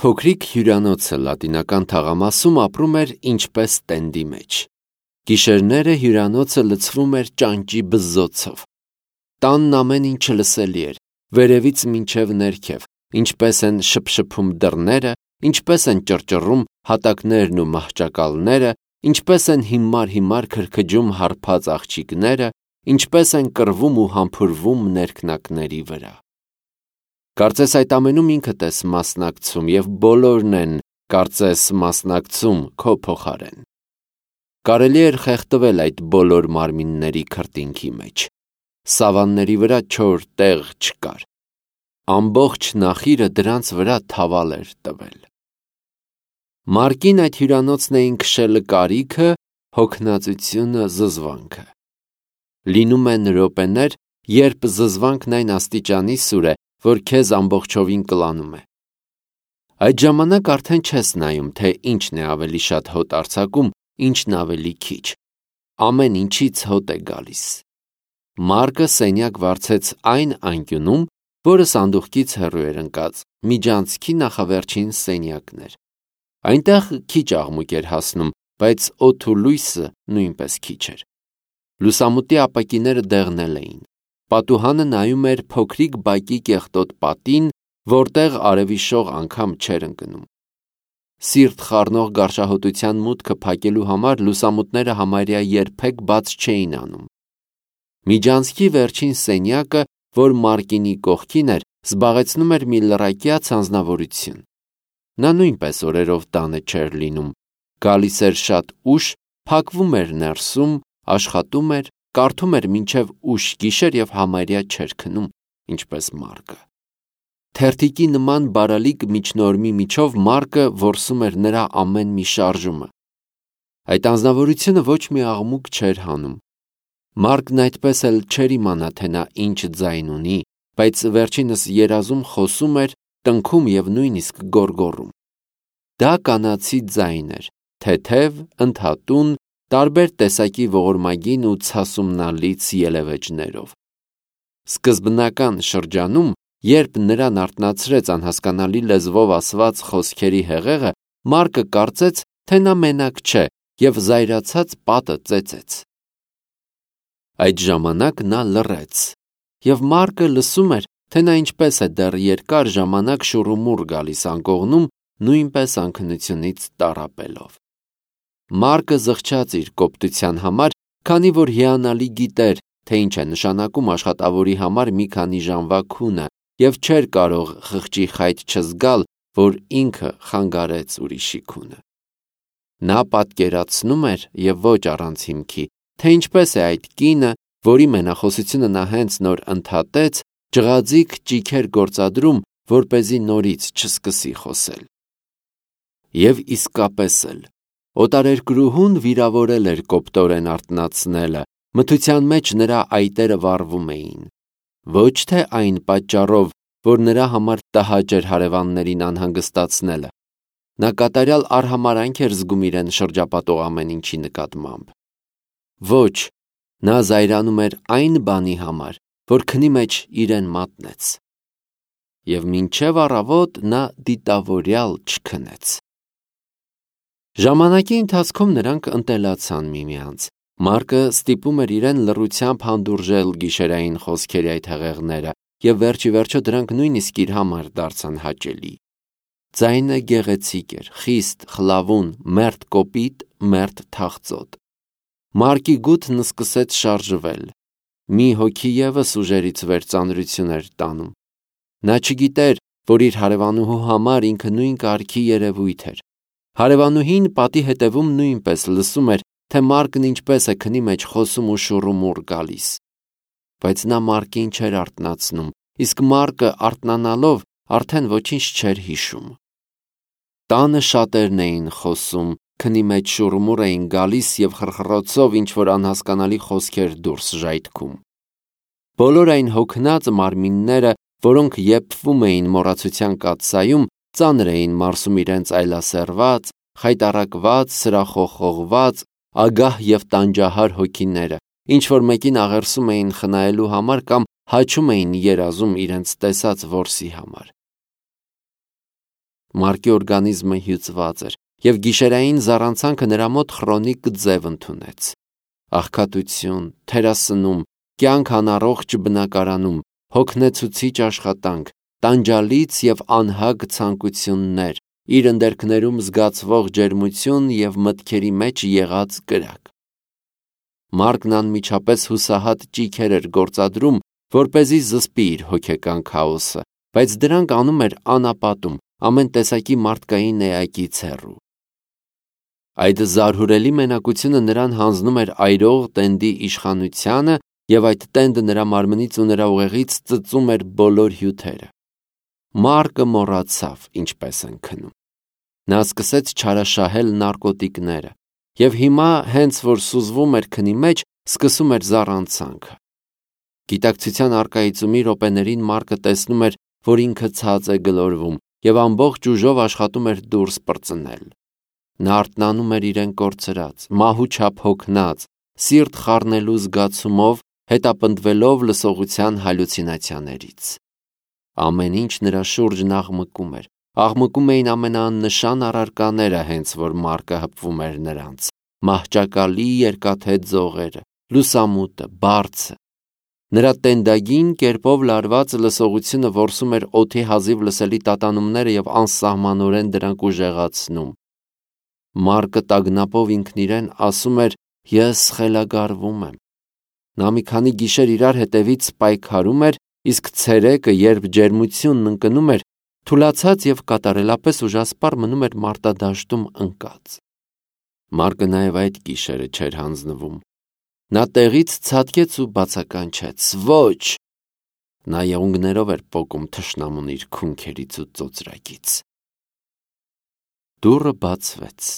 Փոքրիկ հյուրանոցը լատինական թաղամասում ապրում էր ինչպես տենդի մեջ։ Գիշերները հյուրանոցը լցվում էր ճանճի բզզոցով։ Տանն ամեն ինչը լսելի էր, վերևից մինչև ներքև, ինչպես են շփշփում դռները, ինչպես են ճռճռում հատակներն ու մահճակալները, ինչպես են հիմար քրքջում հարբած աղջիկները, ինչպես են կռվում ու համբուրվում ներքնակների վրա։ Կարծես այդ ամենում ինքդ ես մասնակցում և բոլորն են, կարծես, մասնակցում քո փոխարեն։ Կարելի էր խեղդվել այդ բոլոր մարմինների քրտինքի մեջ։ Սավանների վրա չոր տեղ չկար։ Ամբողջ նախիրը դրանց վրա թավալ էր տվել։ Մարկին այդ հյուրանոցն էին քշել կարիքը, հոգնածությունը, զզվանքը։ Լինում են րոպեներ, երբ զզվանքն այն աստիճանի սուր է, որ քեզ ամբողջովին կլանում է։ Այդ ժամանակ արդեն չես նայում, թե ինչն է ավելի շատ հոտ արձակում, ինչն ավելի քիչ։ Ամեն ինչից հոտ է գալիս։ Մարկը սենյակ վարձեց այն անկյունում, որը սանդուղքից հեռու էր ընկած, միջանցքի նախավերջին սենյակն էր։ Այնտեղ քիչ աղմուկ էր հասնում, բայց օդը ու լույսը նույնպես քիչ էր։ Լուսամուտի ապակիները դեղնել էին։ Պատուհանը նայում էր փոքրիկ բակի կեղտոտ պատին, որտեղ արևի շող անգամ չէր ընկնում։ Սիրտ խառնող գարշահոտության մուտքը փակելու համար լուսամուտները համարյա երբեք բաց չէին անում։ Միջանցքի վերջին սենյակը, որ Մարկինի կողքին էր, զբաղեցնում էր մի լռակյաց անձնավորություն։ Նա նույնպես օրերով տանը չէր լինում, գալիս էր շատ ուշ, փակվում էր ներսում, աշխատում էր, կարդում էր մինչև ուշ գիշեր և համարյա չէր քնում, ինչպես Մարկը։ Թերթիկի նման բարալիկ միջնորմի միջով Մարկը որսում էր նրա ամեն մի շարժումը։ Այդ անձնավորությունը ոչ մի աղմուկ չէր հանում։ Մարկն այդպես էլ չէր իմանա, թե նա ինչ ձայն ունի, բայց վերջինս երազում խոսում էր, տնքում և նույնիսկ գոռգոռում։ Դա կանացի ձայն էր, թեթև, ընդհատուն, տարբեր տեսակի ողորմագին ու ցասումնալից ելևէջներով։ Սկզբնական շրջանում, երբ նրան արթնացրեց անհասկանալի լեզվով ասված խոսքերի հեղեղը, Մարկը կարծեց, թե նա մենակ չէ և զայրացած պատը ծեծեց։ Այդ ժամանակ նա լռեց, և Մարկը լսում էր, թե նա ինչպես է դեռ երկար ժամանակ շուռումուռ գալիս անկողնում, նույնպես անքնությունից տառապելով։ Մարկը զղջաց իր կոպտության համար, քանի որ հիանալի գիտեր, թե ինչ է նշանակում աշխատավորի համար մի քանի ժամվա քունը և չէր կարող խղճի խայտ չզգալ, որ ինքը խանգարեց ուրիշի քունը։ Նա պատկերացնում էր և ոչ առանց հիմքի, թե ինչպես է այդ կինը, որի մենախոսությունը նա հենց նոր ընդհատեց, ջղաձիգ ճիգեր գործադրում, որպեսզի նորից չսկսի խոսել։ Եվ իսկապես էլ, օտարերկրուհուն վիրավորել էր կոպտորեն արթնացնելը, մթության մեջ նրա այտերը վառվում էին։ Ոչ թե այն պատճառով, որ նրա համար տհաճ էր հարևաններին անհանգստացնելը։ Նա կատարյալ արհամարհանք էր զգում իրեն շրջապատող ամեն ինչի նկատմամբ։ Ոչ, նա զայրանում էր այն բանի համար, որ քնի մեջ իրեն մատնեց։ Եվ մինչև առավոտ նա դիտավորյալ չքնեց։ Ժամանակի ընթացքում նրանք ընտելացան միմյանց։ Մարկը ստիպում էր իրեն լռությամբ հանդուրժել գիշերային խոսքերի այդ հեղեղները, և վերջիվերջո դրանք նույնիսկ իր համար դարձան հաճելի։ Ձայնը գեղեցիկ էր, խիստ, խլավուն, մերթ կոպիտ, մերթ թախծոտ։ Մարկի գութն սկսեց շարժվել։ Մի հոգի ևս ուժերից վեր ծանրություն էր տանում։ Նա չգիտեր, որ իր հարևանուհու համար ինքը նույն կարգի երևույթ էր։ Հարևանուհին պատի հետևում նույնպես լսում էր, թե Մարկն ինչպես է քնի մեջ խոսում ու շուռումուռ գալիս։ Բայց նա Մարկին չէր արթնացնում, իսկ Մարկը արթնանալով արդեն ոչինչ չէր հիշում։ Տանը շատերն էին խոսում, քնի մեջ շուռումուռ էին գալիս և խռխռոցով ինչ-որ անհասկանալի խոսքեր դուրս ժայթքում։ Բոլոր այն հոգնած մարմինները, որոնք եփվում էին մոռացության կաթսայում, ծանր էին մարսում իրենց այլասերված, խայտառակված, սրախոխողված, ագահ և տանջահար հոգիները, ինչ-որ մեկին աղերսում էին խնայելու համար կամ հաչում էին երազում իրենց տեսած որսի համար։ Մարկի օրգանիզմը հյուծված էր, և գիշերային զառանցանքը նրա մոտ խրոնիկ ձև ընդունեց։ Աղքատություն, թերասնում, կյանք անառողջ բնակարանում, հոգնեցուցիչ աշխատանք, տանջալից և անհագ ցանկություններ, իր ընդերքներում զգացվող ջերմություն և մտքերի մեջ եղած կրակ։ Մարկն անմիջապես հուսահատ ճիգեր էր գործադրում, որպեսզի զսպի իր հոգեկան քաոսը, բայց դրանք անում էր անապատում, ամեն տեսակի մարդկային էակից հեռու։ Այդ զարհուրելի մենակությունը նրան հանձնում էր այրող տենդի իշխանությանը, և այդ տենդը նրա մարմնից ու նրա ուղեղից ծծում էր բոլոր հյութերը։ Մարկը մոռացավ ինչպես են քնում։ Նա սկսեց չարաշահել նարկոտիկները, և հիմա, հենց որ սուզվում էր քնի մեջ, սկսում էր զառանցանքը։ Գիտակցության առկայծումի րոպեներին Մարկը տեսնում էր, որ ինքը ցած է գլորվում, և ամբողջ ուժով աշխատում էր դուրս պրծնել։ Նա արթնանում էր իրեն կորցրած, մահու չափ հոգնած, սիրտ խառնելու զգացումով, հետապնդվելով լսողության հալյուցինացիաներից։ Ամեն ինչ նրա շուրջն աղմկում էին ամենաաննշան առարկաները, հենց որ Մարկը հպվում էր նրանց՝ մահճակալի երկաթե ձողերը, լուսամուտը, բարձը։ Նրա տենդագին կերպով լարված լսողությունը որսում էր օդի հազիվ լսելի տատանումները և անսահմանորեն դրանք ուժեղացնում։ Մարկը տագնապով ինքն իրեն ասում էր. «Ես խելագարվում եմ»։ Նա մի քանի գիշեր իրար հետևից պայքարում էր, իսկ ցերեկը, երբ ջերմությունն ընկնում էր, թուլացած և կատարելապես ուժասպառ մնում էր մարտադաշտում ընկած։ Մարկը նաև այդ գիշերը չէր հանձնվում։ Նա տեղից ցատկեց ու բացականչեց. «Ոչ»։ Նա եղունգներով էր պոկում թշնամուն իր քունքերից ու ծոծրակից։ Դուռը բացվեց։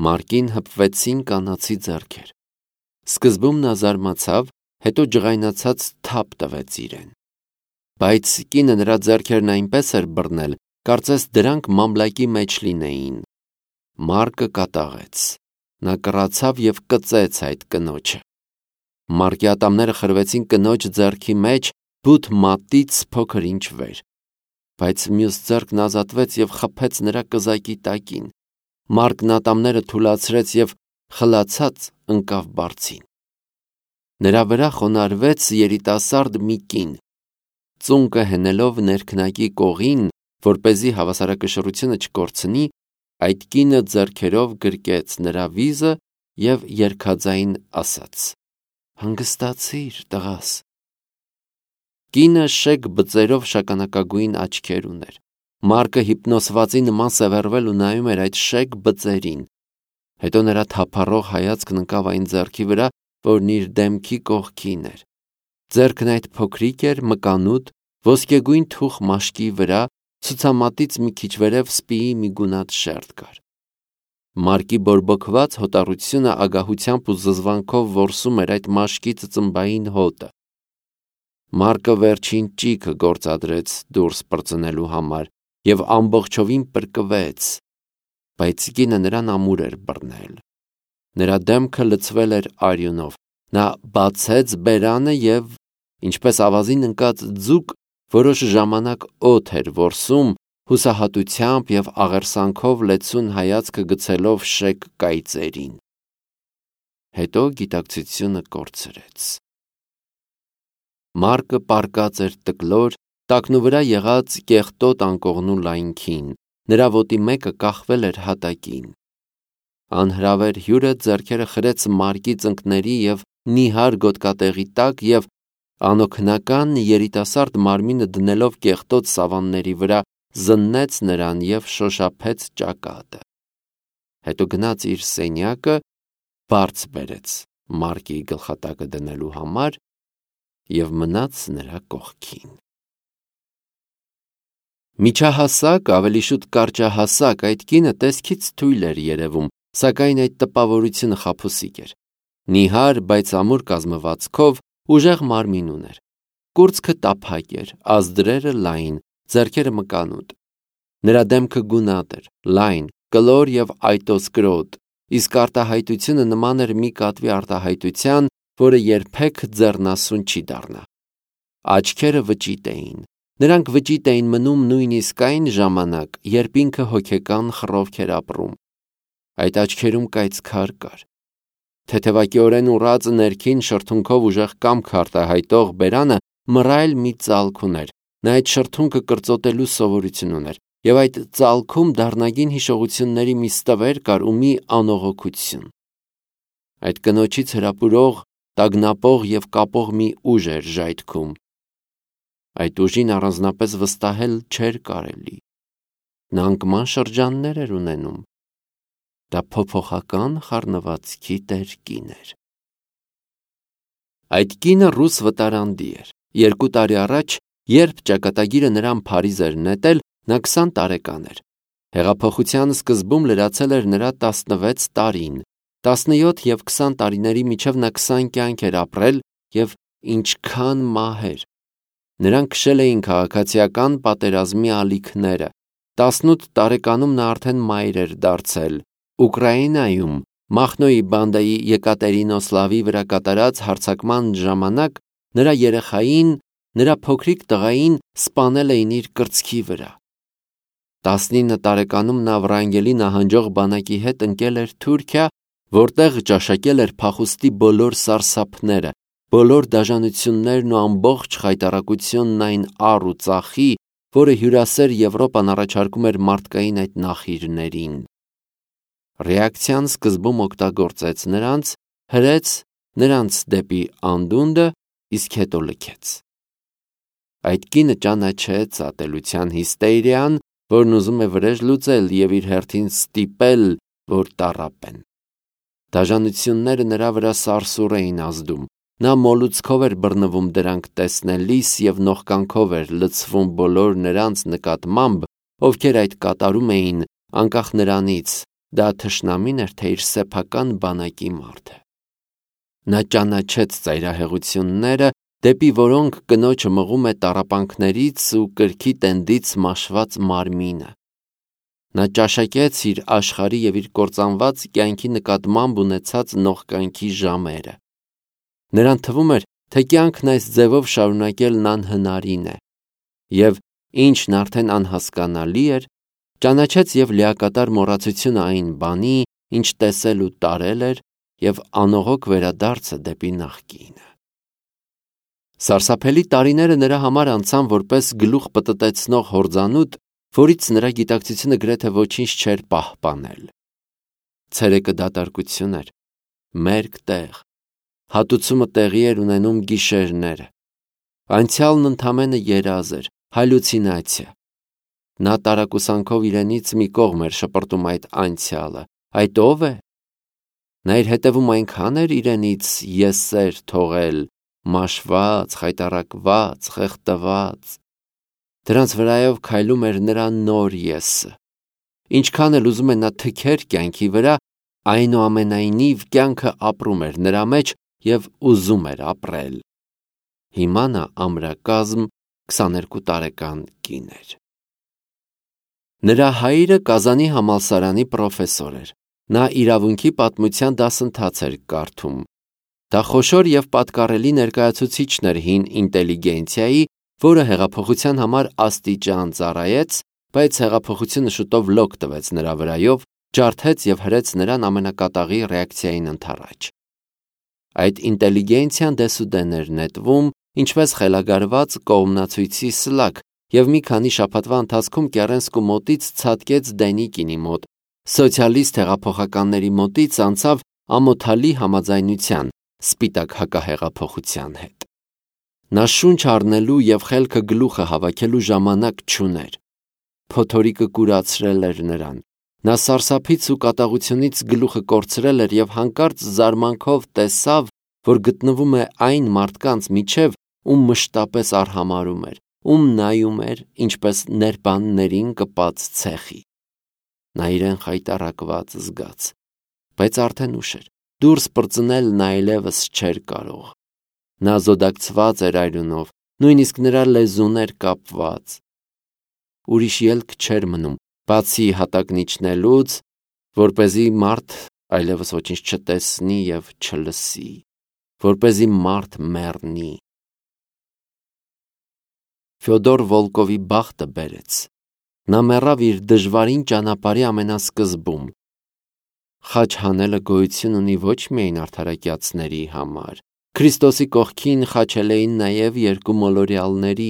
Մարկին հպվեցին կանացի ձեռքեր։ Սկզբում նա զարմացավ, հետո ջղայնացած թափ տվեց իրեն։ Բայց կինը նրա ձեռքերն այնպես էր բռնել, կարծես դրանք մամլակի մեջ լինեին։ Մարկը կատաղեց։ Նա կռացավ և կծեց այդ կնոջը։ Մարկի ատամները խրվեցին կնոջ ձեռքի մեջ, բութ մատից փոքր ինչ վեր, բայց մյուս ձեռքն ազատվեց և խփեց նրա կզակի տակին։ Մարկն ատամները թուլացրեց և խլացած ընկավ բարձին։ Նրա վրա խոնարհվեց երիտասարդ մի կին։ Ծունկը հենելով ներքնակի կողին, որպեսզի հավասարակշռությունը չկորցնի, այդ կինը ձեռքերով գրկեց նրա վիզը և երգաձայն ասաց. «Հանգստացիր, տղաս»։ Կինը շեկ բծերով շագանակագույն աչքեր ուներ։ Մարկը հիպնոսվածի նման սևեռվել ու նայում էր այդ շեկ բծերին։ Հետո նրա թափառող հայացքն ընկավ այն ձեռքի վրա, որն իր դեմքի կողքին էր։ Ձեռքն այդ փոքրիկ էր, մկանուտ, ոսկեգույն թուխ մաշկի վրա, ցուցամատից մի քիչ վերև սպիի մի գունատ շերտ կար։ Մարկի բորբոքված հոտառությունը ագահությամբ ու զզվանքով որսում էր այդ մաշկի ծծմբային հոտը։ Մարկը վերջին ճիգը գործադրեց դուրս պրծնելու համար և ամբողջովին պրկվեց, բայց կինը նրան ամուր էր բռնել։ Նրա դեմքը լցվել էր արյունով։ Նա բացեց բերանը և, ինչպես ավազին ընկած ձուկ, որոշ ժամանակ օդ էր որսում, հուսահատությամբ և աղերսանքով լեցուն հայացքը գցելով շեկ կայծերին։ Հետո գիտակցությունը կորցրեց։ Մարկը պառկած էր տկլոր, տակնուվրա եղած կեղտոտ անկողնու լայնքին, նրա ոտի մեկը կախվել էր հատակին։ Անհրավեր հյուրը ձեռքերը խրեց Մարկի ծնկների և նիհար գոտկատեղի տակ և անօգնական երիտասարդ մարմինը դնելով կեղտոտ սավանների վրա զննեց նրան և շոշափեց ճակատը։ Հետո գնաց իր սենյակը, բարձ բերեց Մարկի գլխատակը դնելու համար և մնաց նրա կողքին։ Միջահասակ, ավելի շուտ կարճահասակ այդ կինը տեսքից թույլ էր երևում, սակայն այդ տպավորությունը խաբուսիկ էր։ Նիհար, բայց ամուր կազմվածքով, ուժեղ մարմին ուներ։ Կուրծքը տափակ էր, ազդրերը լայն, ձեռքերը մկանուտ։ Նրա դեմքը գունատ էր, լայն, կլոր և այտոսկրոտ, իսկ արտահայտությունը նման էր մի կատվի արտահայտության, որը երբեք ձեռնասուն չի դառնա։ Աչքերը վճիտ էին։ Նրանք վճիտ էին մնում նույնիսկ այն ժամանակ, երբ ինքը հոգեկան խռովք էր ապրում։ Այդ աչքերում կայծքար կար։ Թեթևակիորեն ուռած ներքին շրթունքով ուժեղ կամք արտահայտող բերանը մռայլ մի ծալք ուներ։ Նա այդ շրթունքը կրծոտելու սովորություն ուներ, եւ այդ ծալքում դառնագին հիշողությունների մի ստվեր կար ու մի անողոքություն։ Այդ կնոջից հրապուրող, տագնապող եւ կապող մի ուժ էր ժայթքում։ Այդ ուժին առանձնապես վստահել չէր կարելի։ Նա անկման շրջաններ էր ունենում։ Դա փոփոխական խառնվածքի տեր կին էր։ Այդ կինը ռուս վտարանդի էր։ 2 տարի առաջ, երբ ճակատագիրը նրան Փարիզ էր նետել, նա 20 տարեկան էր։ Հեղափոխության սկզբում լրացել էր նրա 16 տարին։ 17 եւ 20 տարիների միջև նա 20 կյանք էր ապրել եւ ինչքան մահեր։ Նրան քշել էին քաղաքացիական պատերազմի ալիքները։ 18 տարեկանում նա արդեն մայր էր դարձել։ Ուկրաինայում Մախնոյի բանդայի Եկատերինոսլավի վրա կատարած հարձակման ժամանակ նրա երեխային, նրա փոքրիկ տղային սպանել էին իր կրծքի վրա։ 19 տարեկանում նա Վրանգելի նահանջող բանակի հետ ընկել էր Թուրքիա, որտեղ ճաշակել էր փախուստի բոլոր սարսափները, բոլոր դաժանություններն ու ամբողջ խայտառակությունն այն առ ու ծախի, որը հյուրասեր Եվրոպան առաջարկում էր մարդկային այդ նախիրներին։ Ռեակցիան սկզբում օգտագործեց նրանց, հրեց նրանց դեպի անդունդը, իսկ հետո լքեց։ Այդ կինը ճանաչեց ատելության հիստերիան, որն ուզում է վրեժ լուծել եւ իր հերթին ստիպել, որ տառապեն։ Դաժանությունները նրա վրա սարսուռ էին ազդում։ Նա մոլուցքով էր բռնվում դրանք տեսնելիս եւ նողկանքով էր լցվում բոլոր նրանց նկատմամբ, ովքեր այդ կատարում էին, անկախ նրանից, դա թշնամին էր, թե իր սեփական բանակի մարդը։ Նա ճանաչեց ծայրահեղությունները, դեպի որոնք կնոջը մղում է տառապանքներից ու կրքի տենդից մաշված մարմինը։ Նա ճաշակեց իր աշխարհի եւ իր կործանված կյանքի նկատմամբ ունեցած նողկանքի ժամերը։ Նրան թվում էր, թե կյանքն այս ձևով շարունակելն անհնարին է, եւ ինչն արդեն անհասկանալի էր, ճանաչեց եւ լիակատար մոռացությունը այն բանի, ինչ տեսել ու տարել էր, եւ անողոք վերադարձը դեպի նախկինը։ Սարսափելի տարիները նրա համար անցան որպես գլուխ պտտեցնող հորձանուտ, որից նրա գիտակցությունը գրեթե ոչինչ չէր պահպանել։ Ցերեկը դատարկություն էր, մերկ տեղ, հատուցումը տեղի էր ունենում գիշերները։ Անցյալն ընդամենը երազ էր, հալյուցինացիա։ Նա տարակուսանքով իրենից մի կողմ էր շպրտում այդ անցյալը։ Այդ ո՞վ է։ Նա իր հետևում այնքան էր իրենից եսեր թողել, մաշված, խայտառակված, խեղդված։ Դրանց վրայով քայլում էր նրա նոր եսը։ Ինչքան էլ ուզում է նա թքեր կյանքի վրա, այնուամենայնիվ կյանքը ապրում էր նրա մեջ եւ ուզում էր ապրել։ Հիմա նա ամրակազմ 22 տարեկան կին էր։ Նրա հայրը Կազանի համալսարանի պրոֆեսոր էր։ Նա իրավունքի պատմության դասընթաց էր կարդում։ Դա խոշոր եւ պատկառելի ներկայացուցիչն էր հին ինտելիգենցիայի, որը հեղափոխության համար աստիճան ծառայեց, բայց հեղափոխությունը շուտով լոկ տվեց նրա վրայով, ջարդեց եւ հրեց նրան ամենակատաղի ռեակցիային ընդառաջ։ Այդ ինտելիգենցիան դեսուդեն էր նետվում, ինչպես խելագարված կողմնացույցի սլաք, եւ մի քանի շաբաթվա ընթացքում Կերենսկու մոտից ցատկեց Դենիկինի մոտ, սոցիալիստ հեղափոխականների մոտից անցավ ամոթալի համաձայնության, սպիտակ հակահեղափոխության հետ։ Նա շունչ առնելու եւ խելքը գլուխը հավաքելու ժամանակ չուներ։ Փոթորիկը կուրացրել էր նրան։ Նա սարսափից ու կատաղությունից գլուխը կորցրել էր եւ հանկարծ զարմանքով տեսավ, որ գտնվում է այն մարդկանց միջև, ում մշտապես արհամարհում էր, ում նայում էր, ինչպես ներբաններին կպած ցեխի։ Նա իրեն խայտառակված զգաց, բայց արդեն ուշ էր։ Դուրս պրծնել այլևս չէր կարող։ Նա զոդակցված էր այրունով, նույնիսկ նրա լեզուն էր կապված։ Ուրիշ ելք չէր մնում, բացի հատակն իջնելուց, որպեսզի մարդ այլևս ոչինչ չտեսնի եւ չլսի, որպեսզի մարդ մեռնի։ Ֆյոդոր Վոլկովի բախտը բերեց։ Նա մեռավ իր դժվարին ճանապարհի ամենասկզբում։ Խաչ հանելը գոյություն ունի ոչ միայն արդարակյացների համար։ Քրիստոսի կողքին խաչել էին նաև երկու մոլորյալների։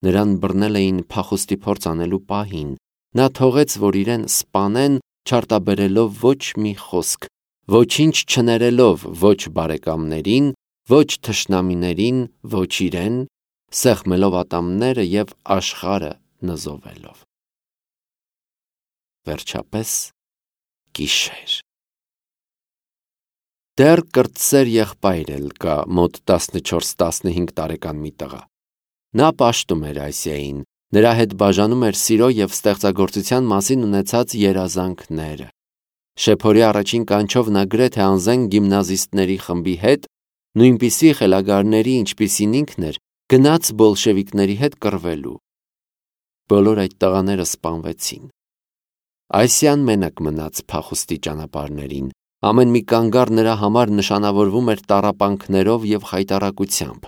Նրան բռնել էին փախուստի փորձ անելու պահին։ Նա թողեց, որ իրեն սպանեն, չարտաբերելով ոչ մի խոսք, ոչինչ չներելով ոչ բարեկամներին, ոչ թշնամիներին, ոչ իրեն, սեղմելով ատամները և աշխարհը նզովելով։ Վերջապես գիշեր։ Դեռ կրտսեր եղբայր էլ կա, մոտ 14-15 տարեկան մի տղա։ Նա պաշտում էր Ասիային, նրա հետ բաժանում էր սիրո և ստեղծագործության մասին ունեցած երազանքները։ Շեփորի առաջին կանչով նա գրեթե անզեն գիմնազիստների խմբի հետ, նույնպիսի խելագարների, ինչպիսին ինքն էր, գնաց բոլշևիկների հետ կռվելու։ Բոլոր այդ տղաները սպանվեցին։ Ասիան մենակ մնաց փախուստի ճանապարհներին։ Ամեն մի կանգառ նրա համար նշանավորվում էր տառապանքներով և խայտառակությամբ։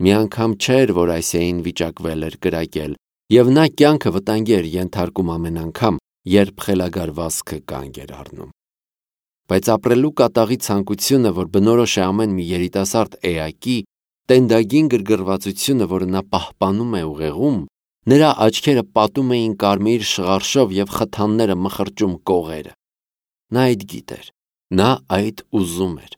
Մի անգամ չէր, որ Ասիային վիճակվել էր կրակել, և նա կյանքը վտանգի էր ենթարկում ամեն անգամ, երբ խելագար վազքը կանգ էր առնում։ Բայց ապրելու կատաղի ցանկությունը, որ բնորոշ է ամեն մի երիտասարդ էակի, տենդագին գրգռվածությունը, որը նա պահպանում է ուղեղում, նրա աչքերը պատում էին կարմիր շղարշով և խթանները մխրճում կողերը։ Նա այդ գիտեր, նա այդ ուզում էր։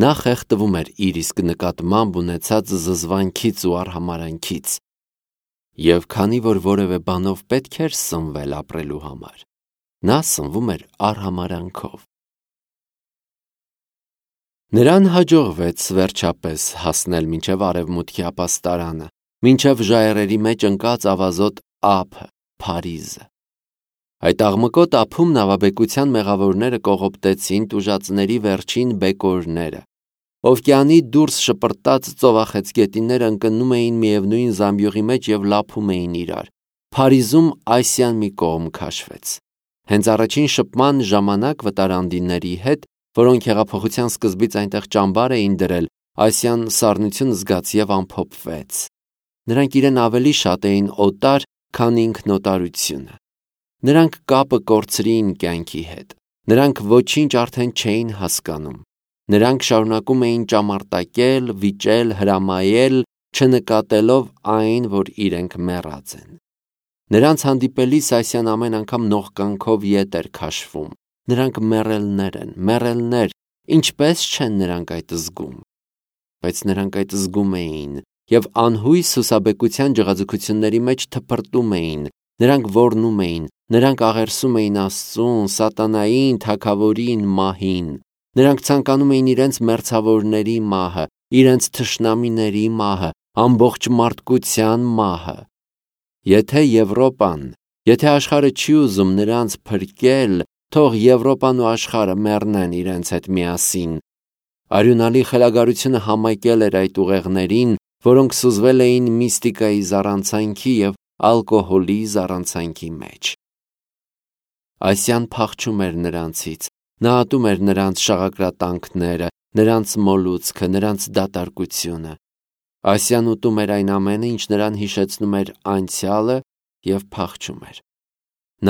Նա խեղդվում էր իր իսկ նկատմամբ ունեցած զզվանքից ու արհամարհանքից։ Եվ քանի որ որևէ բանով պետք էր սնվել ապրելու համար, նա սնվում էր արհամարհանքով։ Նրան հաջողվեց վերջապես հասնել մինչև արևմուտքի ապաստարանը, մինչև ժայռերի մեջ ընկած ավազոտ ափը, Փարիզը։ Այդ աղմկոտ ափում նավաբեկության մեղավորները կողոպտեցին տուժածների վերջին բեկորները։ Օվկիանի դուրս շպրտած ծովախեցգետինները ընկնում էին միևնույն զամբյուղի մեջ և լափում էին իրար։ Փարիզում Ասիան մի կողմ քաշվեց։ Հենց առաջին շփման ժամանակ վտարանդիների հետ, որոնք հեղափոխության սկզբից այնտեղ ճամբար էին դրել, Ասիան սառնություն զգաց և ամփոփվեց։ Նրանք իրեն ավելի շատ էին օտար, քան ինքնոտարությունը։ Նրանք կապը կորցրին կյանքի հետ։ Նրանք ոչինչ արդեն չէին հասկանում։ Նրանք շարունակում էին ճամարտակել, վիճել, հրամայել, չնկատելով այն, որ իրենք մեռած են։ Նրանց հանդիպելիս Ասիան ամեն անգամ նողկանքով ետ էր քաշվում։ Նրանք մեռելներ են, մեռելներ, ինչպե՞ս չեն նրանք այդ զգում։ Բայց նրանք այդ զգում էին, և անհույս հուսաբեկության ջղաձգությունների մեջ թփրտում էին, նրանք ոռնում էին, նրանք աղերսում էին Աստծուն, սատանային, թագավորին, մահին։ Նրանք ցանկանում էին իրենց մերձավորների մահը, իրենց թշնամիների մահը, ամբողջ մարդկության մահը։ Եթե Եվրոպան, եթե աշխարհը չի ուզում նրանց փրկել, թող Եվրոպան ու աշխարհը մեռնեն իրենց հետ միասին։ Արյունալի խելագարությունը համակել էր այդ ուղեղներին, որոնք սուզվել էին միստիկայի զառանցանքի և ալկոհոլի զառանցանքի մեջ։ Ասիան փախչում էր նրանցից, նա ատում էր նրանց շաղակրատանքները, նրանց մոլուցքը, նրանց դատարկությունը։ Ասիան ուտում էր այն ամենը, ինչ նրան հիշեցնում էր անցյալը և փախչում էր։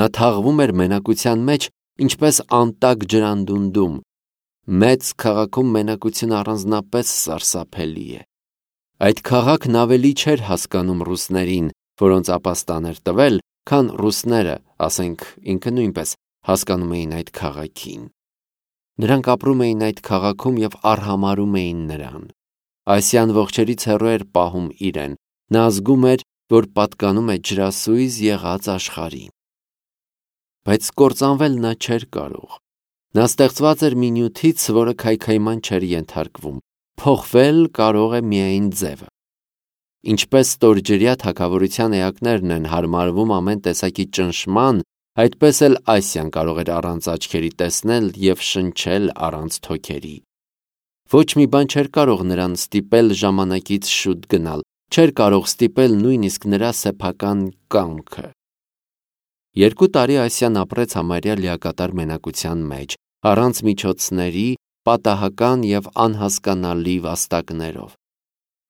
Նա թաղվում էր մենակության մեջ, ինչպես անտակ ջրանդունդում։ Մեծ քաղաքում մենակությունը առանձնապես սարսափելի է։ Այդ քաղաքն ավելի չէր հասկանում ռուսներին, որոնց ապաստան էր տվել, քան ռուսները, ասենք ինքը նույնպես, հասկանում էին այդ քաղաքին։ Նրանք ապրում էին այդ քաղաքում և արհամարհում էին նրան։ Ասիան ողջերից հեռու էր պահում իրեն։ Նա զգում էր, որ պատկանում է ջրասույզ եղած աշխարհին։ Բայց կործանվել նա չէր կարող։ Նա ստեղծված էր մի նյութից, որը քայքայման չէր ենթարկվում։ Փոխվել կարող է միայն ձևը։ Ինչպես ստորջրյա թագավորության էակներն են հարմարվում ամեն տեսակի ճնշման, այդպես էլ Ասիան կարող էր առանց աչքերի տեսնել և շնչել առանց թոքերի։ Ոչ մի բան չէր կարող նրան ստիպել ժամանակից շուտ գնալ, չէր կարող ստիպել նույնիսկ նրա սեփական կամքը։ 2 տարի Ասիան ապրեց համարյա լիակատար մենակության մեջ, առանց միջոցների, պատահական և անհասկանալի վաստակներով։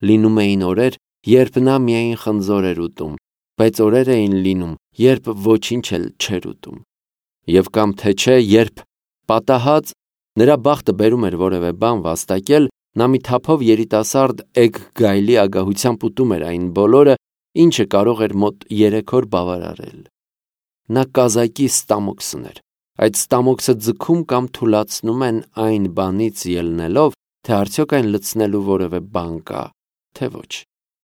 Լինում էին օրեր, երբ նա միայն խնձոր էր ուտում, բայց օրեր էին լինում, երբ ոչինչ էլ չէր ուտում։ Եվ կամ թե չէ, երբ պատահած նրա բախտը բերում էր որևէ բան վաստակել, նա մի թափով երիտասարդ էգ գայլի ագահությամբ ուտում էր այն բոլորը, ինչը կարող էր մոտ 3 օր բավարարել։ Նա կազակի ստամոքս ուներ։ Այդ ստամոքսը ձգում կամ թուլացնում են այն բանից ելնելով, թե արդյոք այն լցնելու որևէ բան կա, թե ոչ։